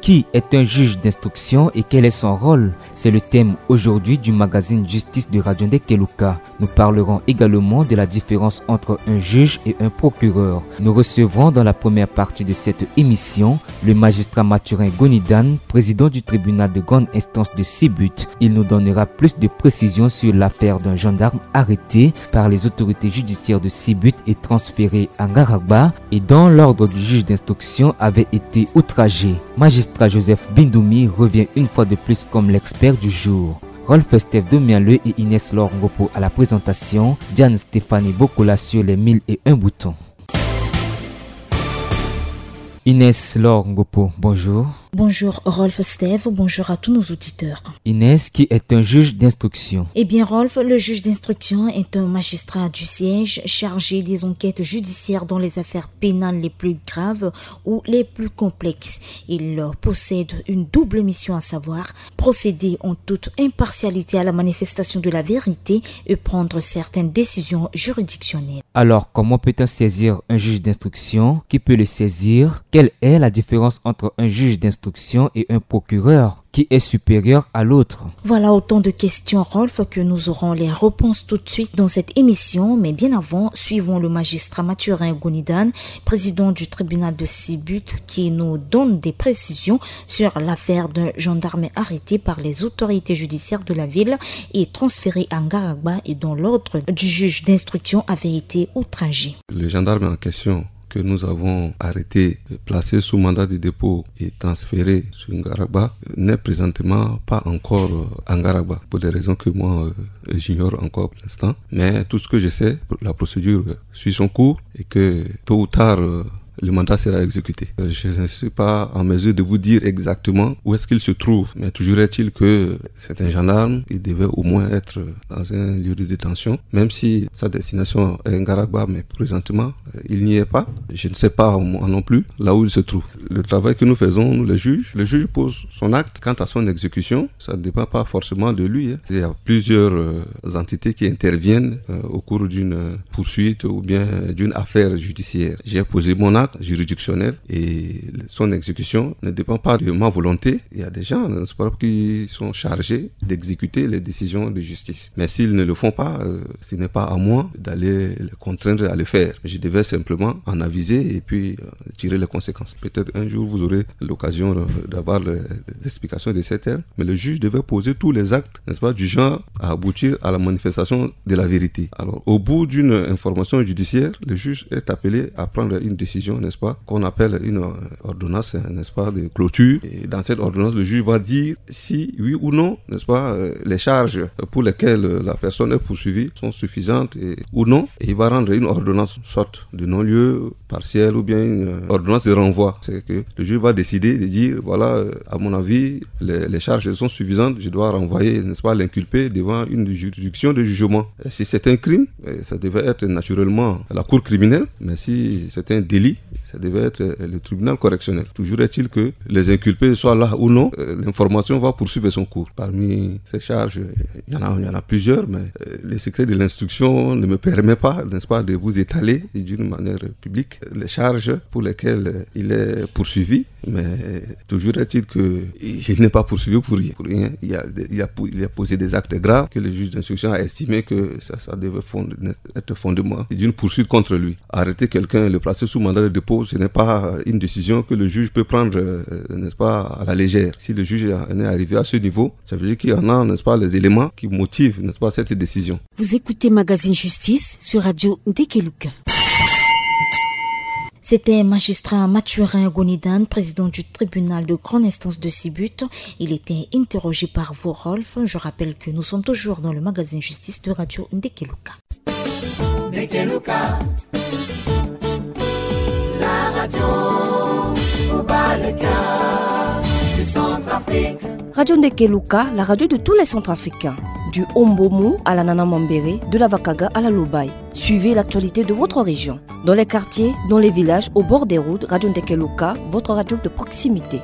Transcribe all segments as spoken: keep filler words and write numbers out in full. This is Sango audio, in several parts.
Qui est un juge d'instruction et quel est son rôle ? C'est le thème aujourd'hui du magazine Justice de Radio Ndekeluka. Nous parlerons également de la différence entre un juge et un procureur. Nous recevrons dans la première partie de cette émission le magistrat Mathurin Gonidan, président du tribunal de grande instance de Sibut. Il nous donnera plus de précisions sur l'affaire d'un gendarme arrêté par les autorités judiciaires de Sibut et transféré à Ngaragba, et dont l'ordre du juge d'instruction avait été outragé. Magistrat Joseph Bindoumi revient une fois de plus comme l'expert du jour. Rolf Steph Domialeux et Inès Laure Ngopo à la présentation, Diane Stéphanie Bokola sur les mille et un boutons. Inès Laure Ngopo, bonjour. Bonjour Rolf Steph, bonjour à tous nos auditeurs. Inès, qui est un juge d'instruction ? Eh bien Rolf, le juge d'instruction est un magistrat du siège chargé des enquêtes judiciaires dans les affaires pénales les plus graves ou les plus complexes. Il possède une double mission, à savoir procéder en toute impartialité à la manifestation de la vérité et prendre certaines décisions juridictionnelles. Alors, comment peut-on saisir un juge d'instruction ? Qui peut le saisir ? Quelle est la différence entre un juge d'instruction et un procureur ? Qui est supérieur à l'autre ? Voilà autant de questions, Rolf, que nous aurons les réponses tout de suite dans cette émission. Mais bien avant, suivons le magistrat Mathurin Gonidan, président du tribunal de Sibut, qui nous donne des précisions sur l'affaire d'un gendarme arrêté par les autorités judiciaires de la ville et transféré à Ngaragba et dont l'ordre du juge d'instruction avait été outragé. Le gendarme en question que nous avons arrêté, placé sous mandat de dépôt et transféré sur Ngaragba, n'est présentement pas encore, euh, à Ngaragba, pour des raisons que moi, euh, j'ignore encore pour l'instant. Mais tout ce que je sais, la procédure, euh, suit son cours et que tôt ou tard, euh, le mandat sera exécuté. Euh, je ne suis pas en mesure de vous dire exactement où est-ce qu'il se trouve, mais toujours est-il que c'est un gendarme, il devait au moins être dans un lieu de détention, même si sa destination est Ngaragba, mais présentement, euh, il n'y est pas. Je ne sais pas, moi non plus, là où il se trouve. Le travail que nous faisons, nous les juges, le juge pose son acte. Quant à son exécution, ça ne dépend pas forcément de lui, hein. Il y a plusieurs, euh, entités qui interviennent, euh, au cours d'une poursuite ou bien, euh, d'une affaire judiciaire. J'ai posé mon acte juridictionnel et son exécution ne dépend pas de ma volonté. Il y a des gens, n'est-ce pas, qui sont chargés d'exécuter les décisions de justice. Mais s'ils ne le font pas, euh, ce n'est pas à moi d'aller les contraindre à le faire. Je devais simplement en aviser et puis, euh, tirer les conséquences. Peut-être un jour, vous aurez l'occasion, euh, d'avoir les, les explications de ces termes. Mais le juge devait poser tous les actes, n'est-ce pas, du genre à aboutir à la manifestation de la vérité. Alors, au bout d'une information judiciaire, le juge est appelé à prendre une décision, n'est-ce pas, qu'on appelle une, euh, ordonnance, n'est-ce pas, de clôture. Et dans cette ordonnance, le juge va dire si, oui ou non, n'est-ce pas, euh, les charges pour lesquelles, euh, la personne est poursuivie sont suffisantes et, ou non. Et il va rendre une ordonnance, sorte de non-lieu partiel ou bien une, euh, ordonnance de renvoi. C'est que le juge va décider de dire, voilà, euh, à mon avis, les, les charges sont suffisantes, je dois renvoyer, n'est-ce pas, l'inculpé devant une juridiction de jugement. Et si c'est un crime, euh, ça devait être naturellement la cour criminelle, mais si c'est un délit, ça devait être, euh, le tribunal correctionnel. Toujours est-il que les inculpés soient là ou non, euh, l'information va poursuivre son cours. Parmi ces charges, il y en a, il y en a plusieurs, mais, euh, le secret de l'instruction ne me permet pas, n'est-ce pas, de vous étaler d'une manière publique les charges pour lesquelles, euh, il est poursuivi. Mais toujours est-il que il n'est pas poursuivi pour rien. Pour rien. Il a, il a, il a posé des actes graves que le juge d'instruction a estimé que ça, ça devait fond-, être fondement d'une poursuite contre lui. Arrêter quelqu'un, le placer sous mandat de dépôt, ce n'est pas une décision que le juge peut prendre, euh, n'est-ce pas, à la légère. Si le juge en est arrivé à ce niveau, ça veut dire qu'il y en a, n'est-ce pas, les éléments qui motivent, n'est-ce pas, cette décision. Vous écoutez Magazine Justice sur Radio Ndekeluka. C'était magistrat Mathurin Gonidan, président du tribunal de grande instance de Sibut. Il était interrogé par vous, Rolf. Je rappelle que nous sommes toujours dans le magazine Justice de Radio Ndekeluka. Ndekeluka, la radio Ubaleka du Centrafrique. Radio Ndekeluka, la radio de tous les Centrafricains. Du Ombomu à la Nana Mambéré, de la Vakaga à la Lobaye. Suivez l'actualité de votre région. Dans les quartiers, dans les villages, au bord des routes, Radio Ndekeluka, votre radio de proximité.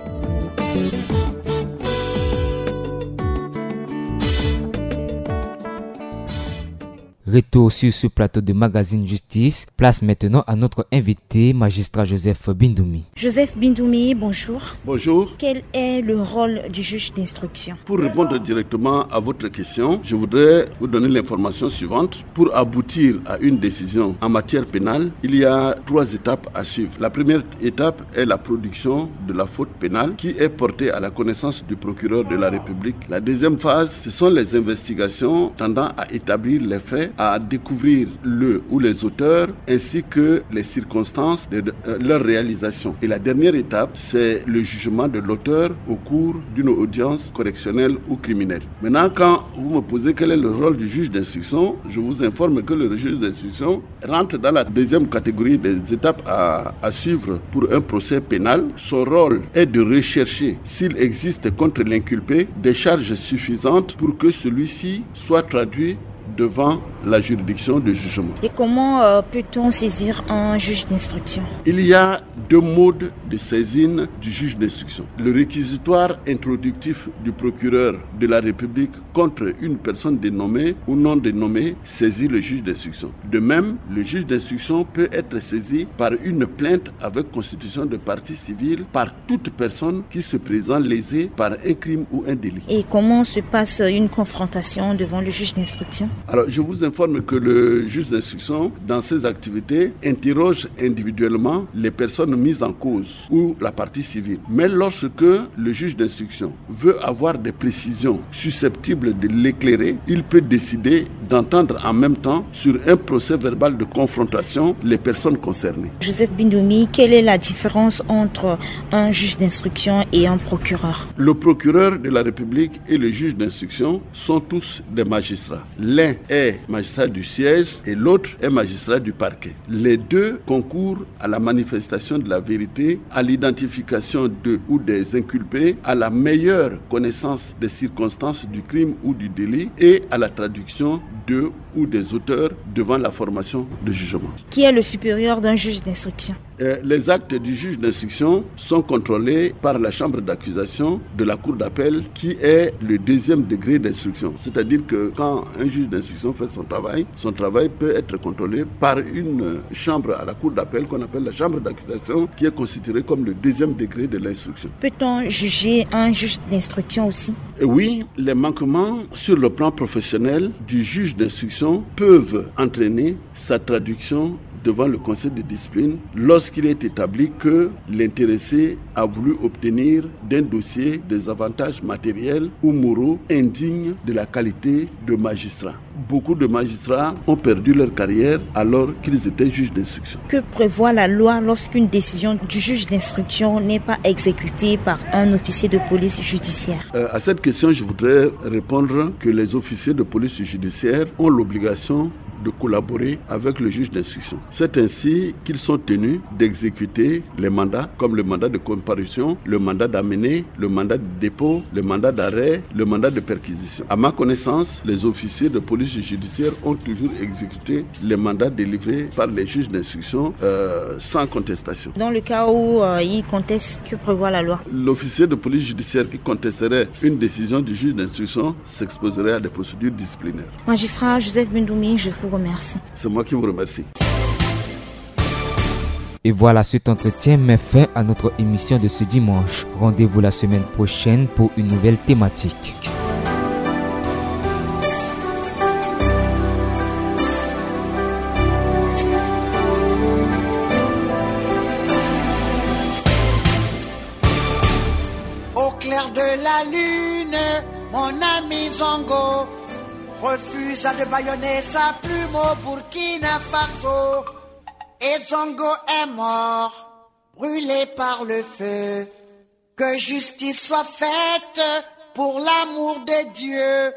Retour sur ce plateau de Magazine Justice. Place maintenant à notre invité, magistrat Joseph Bindoumi. Joseph Bindoumi, bonjour. Bonjour. Quel est le rôle du juge d'instruction ? Pour répondre directement à votre question, je voudrais vous donner l'information suivante. Pour aboutir à une décision en matière pénale, il y a trois étapes à suivre. La première étape est la production de la faute pénale qui est portée à la connaissance du procureur de la République. La deuxième phase, ce sont les investigations tendant à établir les faits, à découvrir le ou les auteurs, ainsi que les circonstances de, de, euh, leur réalisation. Et la dernière étape, c'est le jugement de l'auteur au cours d'une audience correctionnelle ou criminelle. Maintenant, quand vous me posez quel est le rôle du juge d'instruction, je vous informe que le juge d'instruction rentre dans la deuxième catégorie des étapes à, à suivre pour un procès pénal. Son rôle est de rechercher s'il existe contre l'inculpé des charges suffisantes pour que celui-ci soit traduit devant la juridiction de jugement. Et comment, euh, peut-on saisir un juge d'instruction ? Il y a deux modes de saisine du juge d'instruction. Le réquisitoire introductif du procureur de la République contre une personne dénommée ou non dénommée saisit le juge d'instruction. De même, le juge d'instruction peut être saisi par une plainte avec constitution de partie civile par toute personne qui se présente lésée par un crime ou un délit. Et comment se passe une confrontation devant le juge d'instruction ? Alors, je vous informe que le juge d'instruction, dans ses activités, interroge individuellement les personnes mises en cause ou la partie civile. Mais lorsque le juge d'instruction veut avoir des précisions susceptibles de l'éclairer, il peut décider d'entendre en même temps sur un procès-verbal de confrontation les personnes concernées. Joseph Bindoumi, quelle est la différence entre un juge d'instruction et un procureur ? Le procureur de la République et le juge d'instruction sont tous des magistrats. L'un est magistrat du siège et l'autre est magistrat du parquet. Les deux concourent à la manifestation de la vérité, à l'identification de ou des inculpés, à la meilleure connaissance des circonstances du crime ou du délit et à la traduction de ou des auteurs devant la formation de jugement. Qui est le supérieur d'un juge d'instruction ? Euh, les actes du juge d'instruction sont contrôlés par la chambre d'accusation de la cour d'appel, qui est le deuxième degré d'instruction. C'est-à-dire que quand un juge d'instruction fait son travail, son travail peut être contrôlé par une chambre à la cour d'appel qu'on appelle la chambre d'accusation, qui est considérée comme le deuxième degré de l'instruction. Peut-on juger un juge d'instruction aussi ? Et oui, les manquements sur le plan professionnel du juge d'instruction peuvent entraîner sa traduction devant le conseil de discipline lorsqu'il est établi que l'intéressé a voulu obtenir d'un dossier des avantages matériels ou moraux indignes de la qualité de magistrat. Beaucoup de magistrats ont perdu leur carrière alors qu'ils étaient juges d'instruction. Que prévoit la loi lorsqu'une décision du juge d'instruction n'est pas exécutée par un officier de police judiciaire ? Euh, à cette question, je voudrais répondre que les officiers de police judiciaire ont l'obligation de collaborer avec le juge d'instruction. C'est ainsi qu'ils sont tenus d'exécuter les mandats, comme le mandat de comparution, le mandat d'amener, le mandat de dépôt, le mandat d'arrêt, le mandat de perquisition. À ma connaissance, les officiers de police judiciaire ont toujours exécuté les mandats délivrés par les juges d'instruction, euh, sans contestation. Dans le cas où, euh, ils contestent, que prévoit la loi ? L'officier de police judiciaire qui contesterait une décision du juge d'instruction s'exposerait à des procédures disciplinaires. Magistrat Joseph Bindoumi, je vous remercie. C'est moi qui vous remercie. Et voilà, cet entretien met fin à notre émission de ce dimanche. Rendez-vous la semaine prochaine pour une nouvelle thématique. Au clair de la lune, mon ami Zongo refusa de bâillonner sa plume au Burkina Faso. Et Zongo est mort, brûlé par le feu. Que justice soit faite pour l'amour de Dieu.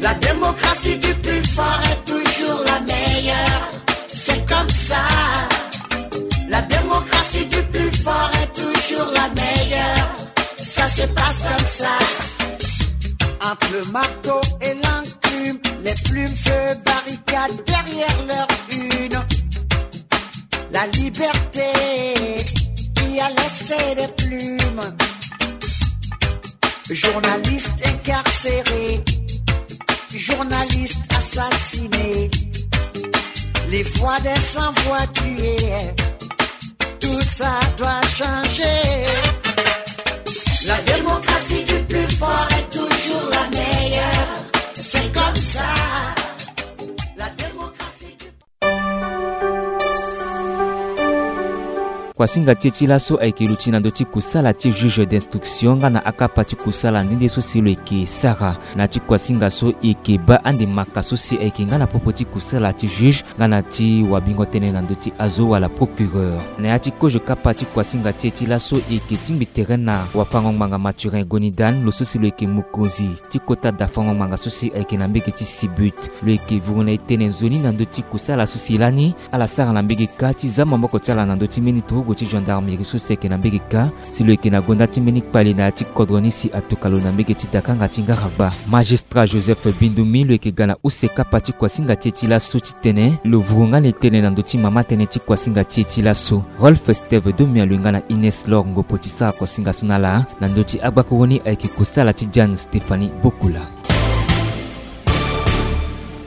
La démocratie du plus fort est toujours la meilleure. C'est comme ça. La démocratie du plus fort est toujours la meilleure. Ça se passe comme ça. Entre le marteau et l'enclume, Les plumes se barricadent derrière leur une. La liberté qui a laissé des plumes. Journalistes incarcérés, journalistes assassinés, les voix des sans-voix tuées. Tout ça doit changer. La démocratie du plus fort est toujours la meilleure. C'est comme ça. La démocratie du... Kuasinga ti e ti laso ayeke luti na ndö ti kusala ti juge d'instruction nga na akapa ti kusala nde nde so si lo yeke sara. Na ya ti kuasinga so e yeke baa ande maka so si ayeke nga na popo ti kusala ti juge nga na ti wabingo tënë na ndö ti azo wala procureur. Na ya ti kozo kapa ti kuasinga ti e ti laso e yeke tingbi tere na wafango-ngbanga Mathurin Gonidan, lo so si lo yeke mokonzi ti kota dafango-ngbanga so si ayeke na mbege ti Sibut. Lo yeke vuru na e tënë nzoni na ndö ti kusala so si lani ala sara na mbege kâ ti za maboko ti ala na ndö ti mbeni turugu ti gendarmerie so si ayeke na mbege kâ, si lo yeke na gonda ti mbeni kpale na ya ti kodro ni si atokua lo na mbege ti dakanga ti ngaragba. Magistrat Joseph Bindumi lo yeke ga na use kapa ti kuasinga ti e ti laso ti tene lo vuru nga na e tënë na ndö ti mama tënë ti kuasinga ti e ti laso. Rolf Steve Domia lo ye nga na Ines Lor Ngopo ti sara kuasinga so na ala na ndö ti agbakuru ni ayeke kusala ti Diane Stéphanie Bokula.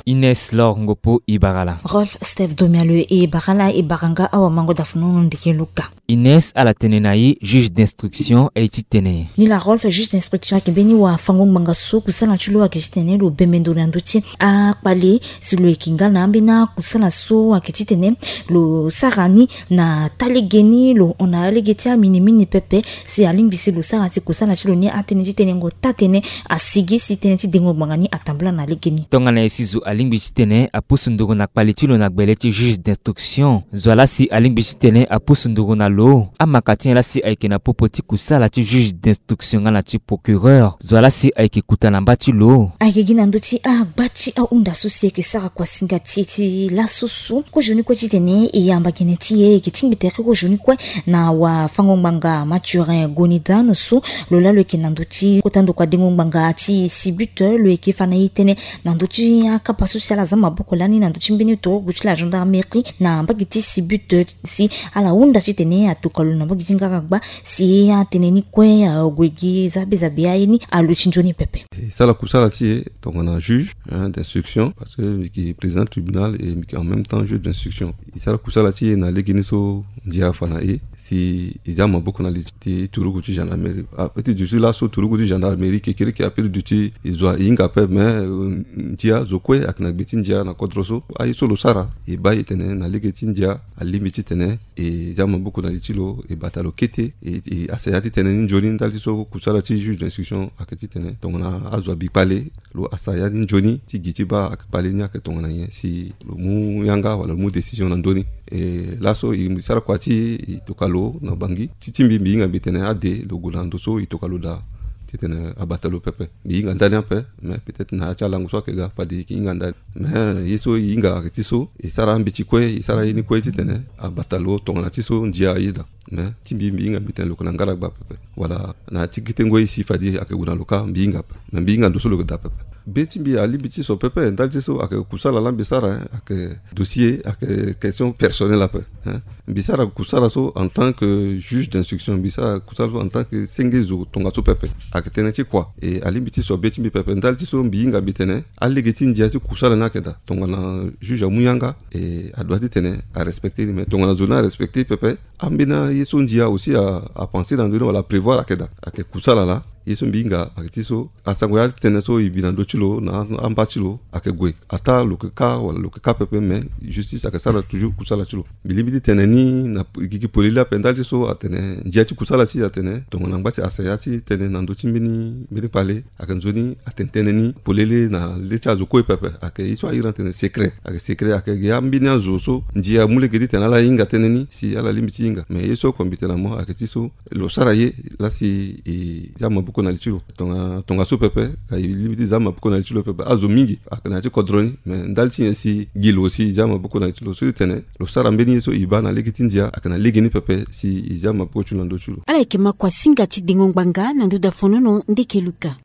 Ines Lor Ngopo, e bara ala. Rolf Steve Domia lo ye, e bara ala, e bara nga awamango dafunu ndeke luka. Ines, ala tene na e juge d'instruction aye ti tene. Nilaa Rolf, juge d'instruction ayeke mbeni wafango-ngbanga so kusala ti lo ayeke ti tene lo bembe ndo na ndö ti akpale si lo yeke nga na ambeni akusala so ayeke ti tene lo sara ni na taa lege ni, lo hon na alege ti aminimini pepe si alingbi si lo sara si kusala ti lo ni atënë ti tenengo taa-tënë asigi si tënë ti dengo ngbanga ni atambula na lege ni. Tongana nyen si zo alingbi ti tene apusu nduru na kpale ti lo na gbele ti juge d'instruction? Zo laa si alingbi ti tene apusu nduru na lo, amaka ti nyen laa si ayeke na popo ti kusala ti juge d'instruction nga na ti procureur? Zo laa si ayeke kuta na mba ti lo? Ayeke gi na ndö ti agba ti ahunda so si ayeke sara kuasinga ti e ti laso so. Kozoni kue titene e yamba gene ti e, e yeke tingbi tere kozoni kue na wafango-ngbanga Mathurin Gonidan so lo laa lo yeke na ndö ti kota ndokua dengo ngbanga ti Sibut, lo yeke fa na e tënë na ndö ti akapa so si ala za maboko lani na ndö ti mbeni turugu ti la gendarmerie na mbage ti Sibut, si ala hunda titene atokua lo na mbage ti ngaragba si atënë ni kue ague gi zabezabe aye ni aluti nzoni pepe. E sara kusala ti e tongana juge, hein, d'instruction, parce que mbi yeke président tribunal et mbi yeke en même temps juge d'instruction. E sara kusala ti e na lege ni so ndia afa na e si e za maboko na li ti turugu ti gendarmerie. Ape ti duti laso turugu ti gendarmerie kekereke ape ti duti e zo ahinga ape, mais, euh, ndia zo kue ayeke na gbe ti ndia na kodro so. Aye so lo sara e baa e tene na lege ti ndia alingbi titene e za maboko na li ti lo, e bata lo kete, e, e asaya ti tënë ni nzoni ndali ti so kusala ti juge d'instruction ayeke titene tongana azo abi kpale, lo asaya ni nzoni ti gi ti baa ayeke kpale ni ayeke tongana nyen si lo mu yanga wala lo mu décision na ndö ni. E laso e sara kua ti e tokua lo na Bangui ti ti mbi, mbi hinga mbi tene ade lo gue na ndo so e tokua lo daa titene abata lo pepe. Mbi hinga ndani ape, mais peut-être na ya ti alango so ayeke ga fade e yeke hinga ndani. Mais ye so e hinga ayeke ti so e sara ambeti kue, e sara ye ni kue titene abata lo tongana ti so ndia aye daa. Mais ti mbi, mbi hinga mbi tene lo yeke na ngaragba pepe. Wala na ya ti kete ngoi si fade ayeke gue na lo kâ mbi hinga ape. Mais mbi hinga ndo so lo yeke daa pepe. Be ti mbi alingbi ti so pepe, ndali ti so ayeke kusala laa mbi sara, hein, ayeke dossier, ayeke question personnelle ape, hein. Mbi sara kusala so en tant que juge d'instruction, mbi sara kusala so en tant que senge zo tongaso pepe. Ayeke tënë ti kua. E alingbi ti so be ti mbi pepe. Ndali ti so mbi hinga mbi tene alege ti ndia ti kusala ni ayeke daa. Tongana juge amu yanga, e adoit titene arespecte ni. Mais tongana zo ni arespecte pepe, ambeni aye so ndia aussi a, apense na ndö ni wala aprévoir ayeke daa. Ayeke kusala laa. Ye so mbi hinga ayeke ti so asango ya tënë so e bi na ndö ti lo na amba ti lo ayeke gue. Ataa lo yeke kâ wala lo yeke kâ pepe, mais justice ayeke sara toujours kusala ti lo. Mbi lingbi ti tene ni na gigi polele ape ndali ti so atene ndia ti kusala ti e atene tongana ngba ti asaya ti tënë na ndö ti mbeni, mbeni kpale ayeke nzoni atene tënë ni polele na le ti azo kue pepe. Ayeke ye so ahiri atene secret. Ayeke secret, ayeke ya mbeni azo so ndia amu lege ti tene ala hinga tënë ni si ala lingbi ti hinga. Mais ye so oko mbi tene na mo ayeke ti so lo sara ye laa si e za maboko na li ti lo. Tonga, tongaso pepe, ka e lingbi ti za maboko na li ti lo pepe. Azo mingi ayeke na ya ti kodro ni, mais ndali ti nyen si gi lo si e za maboko na li ti lo so ti tene lo sara mbeni ye so e baa na lege ti ndia ayeke na lege ni pepe si e za maboko ti lo na ndö ti lo. Ala yeke ma kuasinga ti dengo ngbanga na ndö dafonono ndeke luka.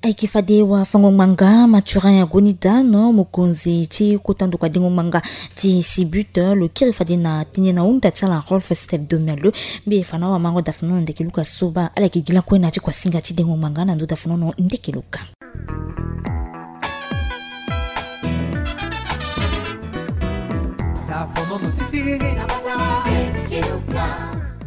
Ayeke fade wafango-ngbanga Mathurin Agonidano, mokonzi ti kota ndokua dengo-ngbanga ti Sibut, lo kiri fade na tënë na hunda ti ala Rolf Steph Domerleux. Mbi fa na awamango dafanono ndeke luka so baa ala yeke gi lakue na ya ti kuasinga ti dengo-ngbanga na ndo dafanono ndeke luka.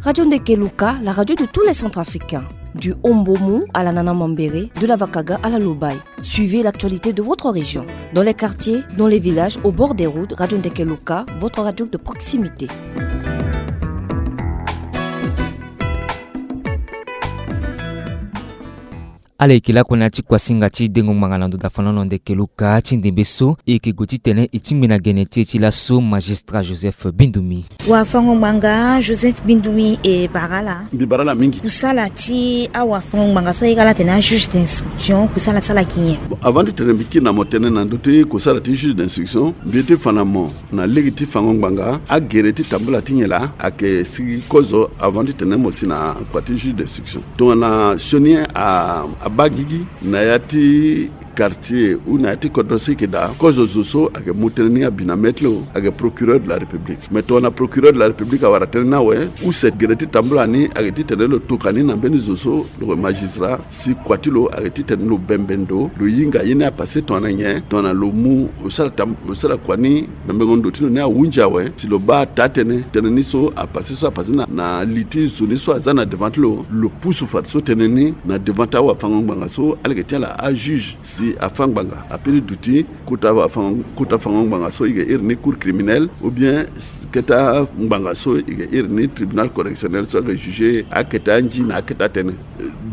Radio Ndeke Luka, la radio de tous les Centrafricains. Du Hombomou à la Nana Mambéré, de la Vakaga à la Lobaye. Suivez l'actualité de votre région. Dans les quartiers, dans les villages, au bord des routes, Radio Ndeke Luka, votre radio de proximité. Ala yeke lakue na ya ti kuasinga ti dengo-ngbanga na ndo dafanono ndeke luka ti ndembe so e yeke gue titene e tingbi na gene ti e ti laso magistrat Joseph Bindumi. Wafango-ngbanga Joseph Bindumi, e bara ala. Mbi bara ala mingi. Kusala ti awafango-ngbanga so ayeke ala atene ajuge d'instruction, kusala ti ala ayeke nyen? Bon, avant ti tene mbi kiri na mo tënë na ndö ti kusala ti juge d'instruction, mbi ye ti fa na mo na lege ti fango-ngbanga agere ti tambula ti nyen laa ayeke sigi kozo avant ti tene mo si na kua ti juge d'instruction. Tongana sioni a, abaa gigi na ya ti quartier ou na ya ti kodro so e yeke daa, kozo zo so ayeke mu tënë ni abi na mê ti lo ayeke procureur de la République. Mais tongana procureur de la République awara tënë ni awe, use gere ti tambula ni ayeke titene lo toka ni na mbeni zo so lo yeke magistrat, si kua ti lo ayeke titene lo bembe ndo, lo hinga ye ni apassé tongana nyen, tongana lo mu, lo sara tam, lo sara kua ni, bembengo ndo ti lo ni ahunzi awe, si lo baa taa-tënë, tënë ni so apassé so apassé na, na li ti zo ni so aza na devant ti lo, lo pusu fadeso tënë ni na devant ti awafango-ngbanga so ala yeke ti ala ajuge, si afâ ngbanga apeut ti duti kota wafango, kota fango-ngbanga so e yeke iri ni cour criminelle, ou bien keta ngbanga so e yeke iri ni tribunal correctionnel so ayeke juger aketa nzi na aketa tënë.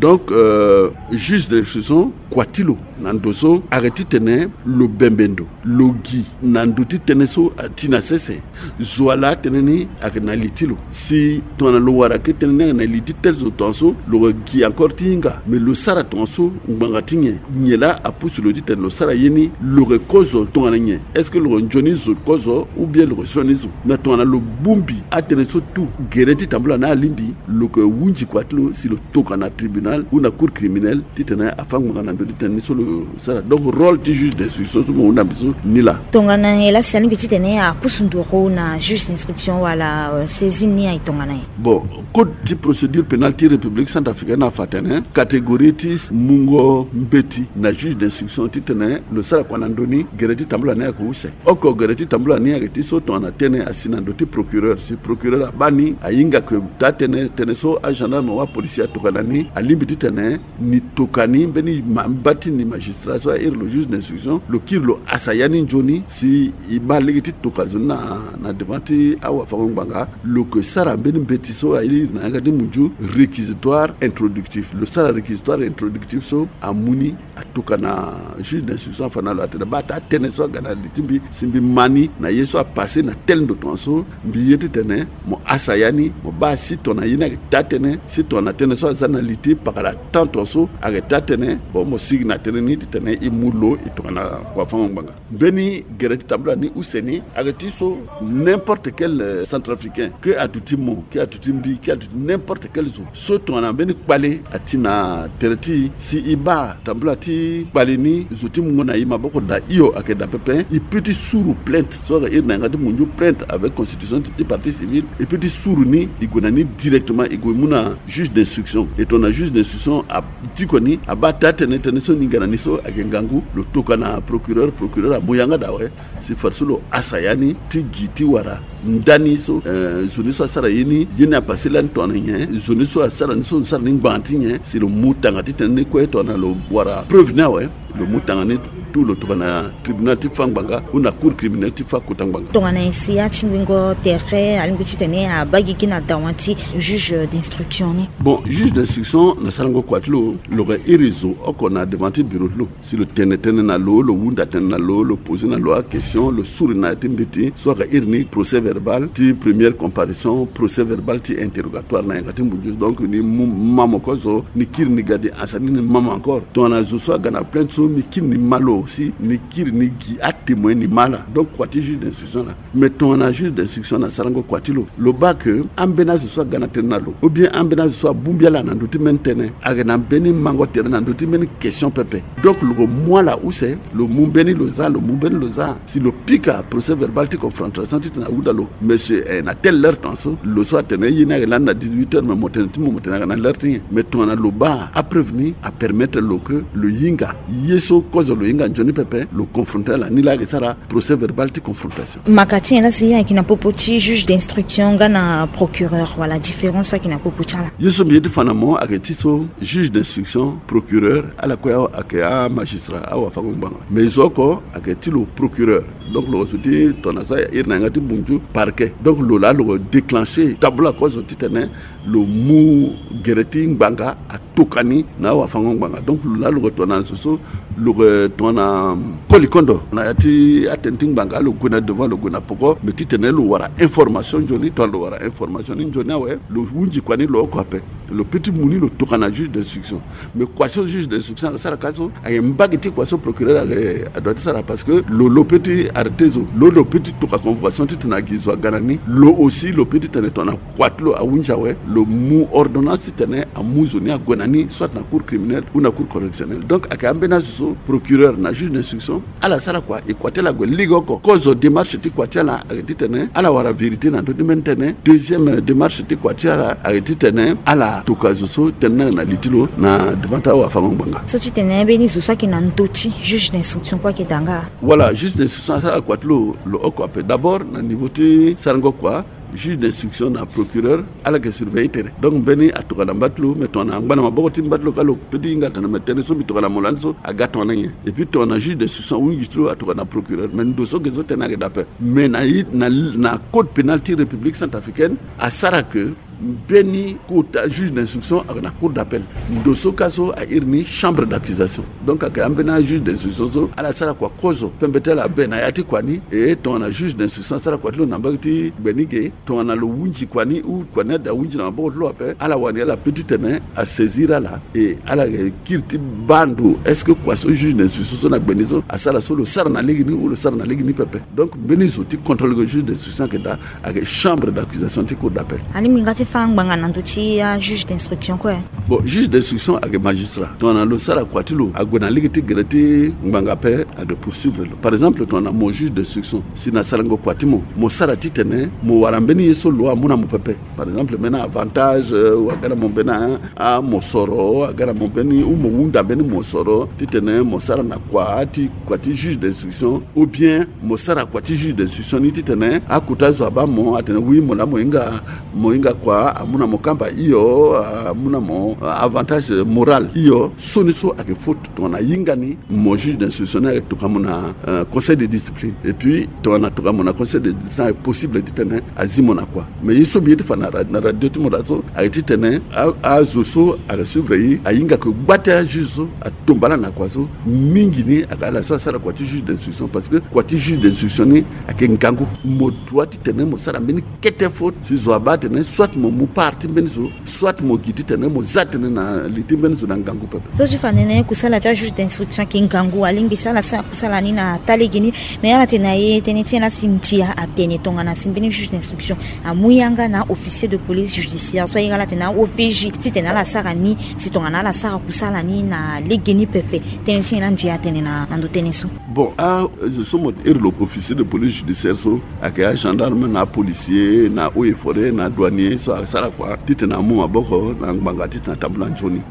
Donc, euh, juge d'instruction, kua ti lo na ndo so ayeke titene lo bembe ndo, lo gi na ndo ti tënë so ati na sese. Zo ala atënë ni ayeke na li ti lo. Si tongana lo wara ke tënë ni ayeke na li ti tel zo tongaso, lo yeke gi encore ti hinga. Mais lo sara tongaso ngbanga ti nyen? Nyen laa apusu lo titene lo sara ye ni? Lo yeke kozo tongana nyen? Est-ce que lo yeke nzoni zo kozo ou bien lo yeke sioni zo? Mais tongana lo bongbi atënë so tout, gere ti tambula ni alingbi, lo yeke hunzi kua ti lo si lo tokua na tribunal ou na cour criminelle titene afâ ngbanga na ndo ti tënë ni so lo sara. Donc rôle ti juge d'instruction so mo hunda mbi so ni laa. Tongana nyen laa si alingbi titene apusu nduru na juge d'instruction wala, euh, saisine ni aye tongana nyen? Bon, code ti procédure pénale ti République centrafricaine afa atene catégorie ti mungo mbeti na juge d'instruction titene lo sara kua na ndö ni, gere ti tambula ni ayeke use. Oko gere ti tambula ni ayeke ti so tongana tënë asi na ndo ti procureur, si procureur abaa ni ahinga ke taa-tënë, tënë so agendarme wala apolisi atoka na ni, alingbi titene ni toka ni mbeni ma, mba ti ni magistrat so airi lo juge d'instruction, lo kiri lo asa ya ni nzoni, si e baa lege ti toka zo ni na, na devant ti awafango-ngbanga, lo yeke sara mbeni mbeti so airi na yanga ti munzu réquisitoire introductif. Lo sara réquisitoire introductif so amu ni, atoka na juge d'instruction afa na lo atene baa taa-tënë so aga na li ti mbi, si mbi ma ni na ye so apassé na tel ndo tongaso, mbi ye titene mo asa ya ni, mo baa si tongana ye ni ayeke taa-tënë, si tongana tënë so aza na li ti pakara temps tongaso ayeke taa-tënë, bon, mo sigi na tënë ni titene e mu lo e tokua na wafango-ngbanga. Mbeni gere ti tambula ni use ni ayeke ti so n'importe quel, euh, centrafricain, ke aduti mo, ke aduti mbi, ke aduti n'importe quel zo so tongana mbeni kpale ati na tere ti e, si e baa tambula ti kpale ni, zo ti mungo na e maboko daa hio ayeke daa pepe, e peut ti suru plainte so ayeke iri na yanga ti munzu plainte avec constitution ti partie civile, e peut ti suru ni, e gue na ni directement, e gue mu na juge d'instruction. E tongana juge d'instruction a diko ni, abaa taa-tënë, tënë so ni hinga na ni so ayeke ngangu, lo tokua na procureur, procureur amu yanga daa awe, si fadeso lo asa ya ni ti gi ti wara ndani so, eh, zo ni so asara ye ni, ye ni apassé lani tongana nyen, zo ni so asara ni so, sara ni ngbanga ti nyen, si lo mu tanga ti tënë ni kue tongana lo wara preuve ni awe, lo mu tanga ni tout, lo tokua na tribunal ti fâ ngbanga ou na cour criminelle ti fâ kota ngbanga. Tongana nyen si atingbingo tere alingbi titene abaa gigi na dawa ti juge d'instruction ni? Bon, juge d'instruction na sarango kua ti lo, lo yeke iri zo oko na devant ti bureau ti lo. Si lo tene tënë na lo, lo hunda tënë na lo, lo posé na lo aquestion, lo suru na ya ti mbeti so ayeke iri ni procès verbal ti première comparution, procès verbal ti interrogatoire na yanga ti munzu. Donc ni mu, ma mo kozo, ni kiri ni ga di ansa ni, ni ma mo encore. Tongana zo so aga na plainte so, mbi kiri ni ma lo, aussi ni kiri ni gi atémoin ni ma ala. Donc kua ti juge d'instruction na, mais tongana juge d'instruction na sarango kua ti lo, lo baa ke ambeni azo so aga na tënë na lo, ou bien ambeni azo so abongbi ala na ndö ti mbeni tënë, ayeke na mbeni mango tere na ndö ti mbeni question pepe. Donc lo ko mu ala use, lo mu mbeni lo za, lo mu mbeni lo za. Si lo pika procès verbal ti confrontation titene ahunda lo, monsieur, eh, na telle heure tongaso, lo so atene ye ni ayeke lani na dix-huit heures, mais mo tene ti mo, mo tene ayeke na l'heure ti nyen? Mais tongana lo baa apreuve ni apermettre lo ke lo hinga ye so kozo lo hinga nzoni pepe, lo confronter ala. Ni laa ayeke sara procès verbal ti confrontation. Maka ti nyen la si ayeke na popo ti juge d'instruction nga na procureur, wala différence so ayeke na popo ti ala? Ye so mbi ye ti fa na mo ayeke ti so, juge d'instruction, procureur, ala kue ayeke amagistrat, awafango-ngbanga. Mais zo oko ayeke ti lo procureur. Donc lo zo ti tongana so airi na yanga ti bunzu, parquet. Donc lo laa lo déclencher tabula kozo titene lo mu gere ti ngbanga atoka ni na awafango-ngbanga. Donc lo laa lo yeke tongana zo so, lo yeke tongana koli kondo na ya ti atene ti ngbanga, lo gue na devant, lo gue na poko, mais titene lo wara information nzoni. Tongana lo wara information ni nzoni awe, lo hunzi kua ni lo oko ape. Lo peut ti mu ni lo tokua na juge d'instruction. Mais kua so juge d'instruction ayeke sara ka so ayeke mbage ti kua so procureur ayeke adoit ti sara, parce que lo, lo peut ti arrêter zo, lo, lo peut ti tokua convocation titene agi zo aga na ni. Lo aussi lo peut ti tene tongana kua ti lo ahunzi awe, lo mu ordonnance titene amu zo ni ague na ni, soit na cour criminelle ou na cour correctionnelle. Donc ayeke ambeni azo so procureur na juge d'instruction ala sara kua, e kua ti ala ague lege oko. Kozo démarche ti kua ti ala ayeke titene ala wara vérité na ndö ti mbeni tënë. Deuxième démarche ti kua ti ala ayeke titene ala tokua zo so tënë ni ayeke na li ti lo na devant ti awafango-ngbanga. So titene mbeni zo so ayeke na ndö ti juge d'instruction kue ayeke daa nga? Voilà, juge d'instruction asara kua ti lo, lo oko ape. D'abord na niveau ti sarango kua, juge d'instruction na procureur, ala yeke surveiller tere. Donc mbeni atokua na mba ti lo, mais tongana angba na maboko ti mba ti lo ka, lo peut ti hinga atene mais tënë so mbi tokua na mo lani so aga tongana nyen. Et puis tongana juge d'instruction ahunzi ti lo, atokua na procureur. Mais ndo so ge so tënë ayeke daa ape. Mais na, na, na code pénal ti République centrafricaine asara ke mbeni kota juge d'instruction ayeke na cour d'appel. Ndo so ka so airi ni chambre d'accusation. Donc ayeke ambeni ajuge d'instruction so ala sara kua kozo pembe ti ala abe na ya ti kua ni. E tongana juge d'instruction asara kua ti lo na mbage ti gbe ni ge, tongana lo hunzi kua ni ou kua ni ade ahunzi na maboko ti lo ape, ala wani ala peut ti tene asaisir ala. E ala yeke kiri ti baa ndo, est-ce que kua so juge d'instruction so na gbe ni so asara so, lo sara na lege ni ou lo sara na lege ni pepe. Donc mbeni zo ti contrôle ke juge d'instruction ayeke daa ayeke chambre d'accusation ti cour d'appel. Alingbi nga ti fâ ngbanga na ndö ti ajuge d'instruction kue? Bon, juge d'instruction ayeke magistrat. Tongana lo sara kua ti lo ague na lege ti gere ti ngbanga ape, ayeke poursuivre lo. Par exemple tongana mo juge d'instruction, si na sarango kua ti mo, mo sara titene mo wara mbeni ye so lo amu na mo pepe. Par exemple mbeni avantage, ou aga na mo mbeni amosoro, aga na mo mbeni, ou mo hunda mbeni mosoro titene mo sara na kua ti, kua ti juge d'instruction, ou bien mo sara kua ti juge d'instruction ni titene akota zo abaa mo atene oui, mo laa mo hinga, mo hinga kua, amu na mo kamba hio, amu na mo avantage moral hio. So ni so ayeke faute. Tongana ahinga ni, mo juge d'instruction ni ayeke tokua mo na conseil de discipline. Et puis tongana atokua mo na conseil de discipline, ayeke possible titene azi mo na kua. Mais ye so mbi ye ti fa na radio ti mo daa so ayeke titene azo so ayeke suivre ye ahinga ke gba ti ajuge so atomba ala na kua so. Mingi ni ayeke ala so asara kua ti juge d'instruction, parce que kua ti juge d'instruction ni ayeke ngangu. Mo doit titene mo sara mbeni kete faute si zo abaa atene soit mo mu part ti mbeni zo, soit mo gi titene mo za tënë na li ti mbeni zo na ngangu pepe. So ti fa nene kusala ti ajuge d'instruction ayeke ngangu, alingbi si ala sara kusala ni na taa lege ni. Mais ala tene na ye tënë ti ala si ndia atene tongana si mbeni juge d'instruction amu yanga na officier de police judiciaire so aye ala tene a-O P J titene ala sara ni, si tongana ala sara kusala ni na lege ni pepe, tënë ti nyen la ndia atene na ndo tënë so? Bon, azo so mo iri lo officier de police judiciaire so ayeke agendarme na apolicier na eaux et forêts na adouanier so asara kua titene amu maboko na ngbanga titene atambula nzoni.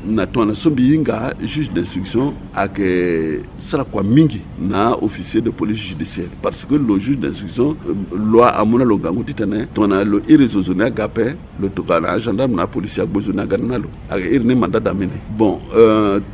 Na tongana so mbi hinga, juge d'instruction ayeke sara kua mingi na officier de police judiciaire, parce que lo juge d'instruction, loi amu na lo ngangu titene tongana lo iri zo zo ni aga ape, lo tokua na agendarme na apolicier agbo zo ni aga na lo. Ayeke iri ni mandat d'amener. Bon,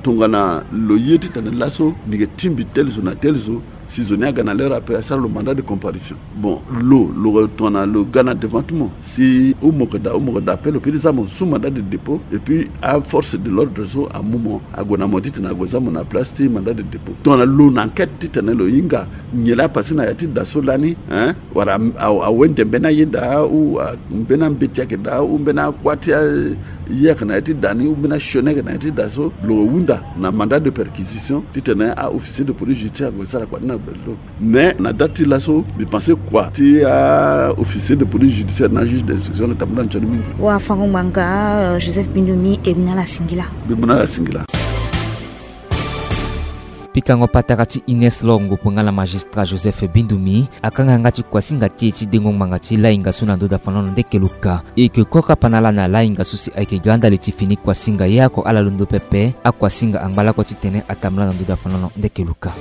tongana lo ye titene laso mbi yeke tingbi tel zo na tel zo, Si zo ni aga na l'heure ape, asara lo mandat de comparution. Bon, lo lo tongana lo ga na devant ti mo, si ou moko daa ou moko daa ape, lo peut ti za mo sous mandat de dépôt. Et puis aforce de l'ordre so amu mo ague na mo titene ague za mo na place ti mandat de dépôt. Tongana lo na enquête titene lo hinga nyen laa apasé na ya ti da so lani, hein, wala awe ndembe ni aye daa ou mbeni ambeti ayeke daa ou mbeni akua ti aye ayeke na ya ti da ni ou mbeni asioni ayeke na ya ti da so, lo hunda na mandat de perquisition titene aofficier de police judiciaire ague sara kua ni na bel lo. Mais na date ti laso mbi pensé kua ti aofficier de police judiciaire na juge d'instruction ayeke tambula nzoni mingi. Wafango-ngbanga, euh, Joseph Bindumi, e mu na ala singila. Mbi mu na ala singila. Pikango patara ti Ines Lor Ngopo nga na magistrat Joseph Bindumi akanga yanga ti kuasinga ti e ti dengo ngbanga ti lahinga so na ndo dafanono ndeke luka. E yeke kue kapa na ala na lahinga so si ayeke ga ndali ti fini kuasinga ye oko ala londo pepe. Akuasinga angba lakue titene atambula na ndo dafanono ndeke luka.